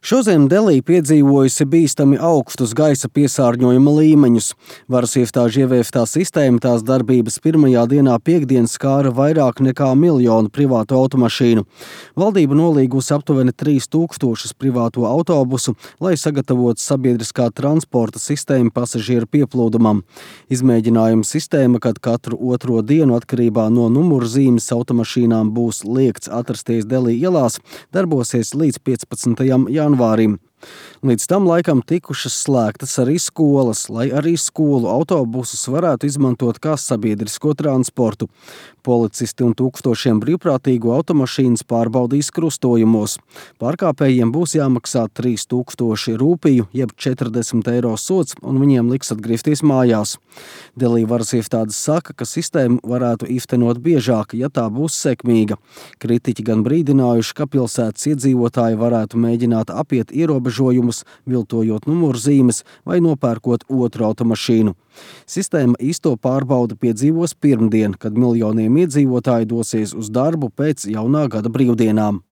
Šodien Delī piedzīvojusi bīstami augstus gaisa piesārņojuma līmeņus. Varas iestāžu ievieftā sistēma tās darbības pirmajā dienā piekdien skāra vairāk nekā 1 miljonu privātu automašīnu. Valdība nolīgusi aptuveni 3000 privāto autobusu, lai sagatavotu sabiedriskā transporta sistēmu pasažieru pieplūdumam. Izmēģinājuma sistēma, kad katru otro dienu atkarībā no numurzīmes automašīnām būs liegts atrasties Delī ielās, darbosies līdz 15. janvārim. Līdz tam laikam tikušas slēgtas arī skolas, lai arī skolu autobusus varētu izmantot kā sabiedrisko transportu. Policisti un tūkstošiem brīvprātīgo automašīnas pārbaudīs krustojumos. Pārkāpējiem būs jāmaksā 3000 rūpiju, jeb 40 eiro sods, un viņiem liks atgriezties mājās. Delī varas iestādes saka, ka sistēmu varētu īstenot biežāk, ja tā būs sekmīga. Kritiķi gan brīdinājuši, ka pilsētas iedzīvotāji varētu mēģināt apiet ierobežojumus, viltojot numurzīmes vai nopērkot otru automašīnu. Sistēma īsto pārbaudi piedzīvos pirmdien, kad miljoniem iedzīvotāji dosies uz darbu pēc jaunā gada brīvdienām.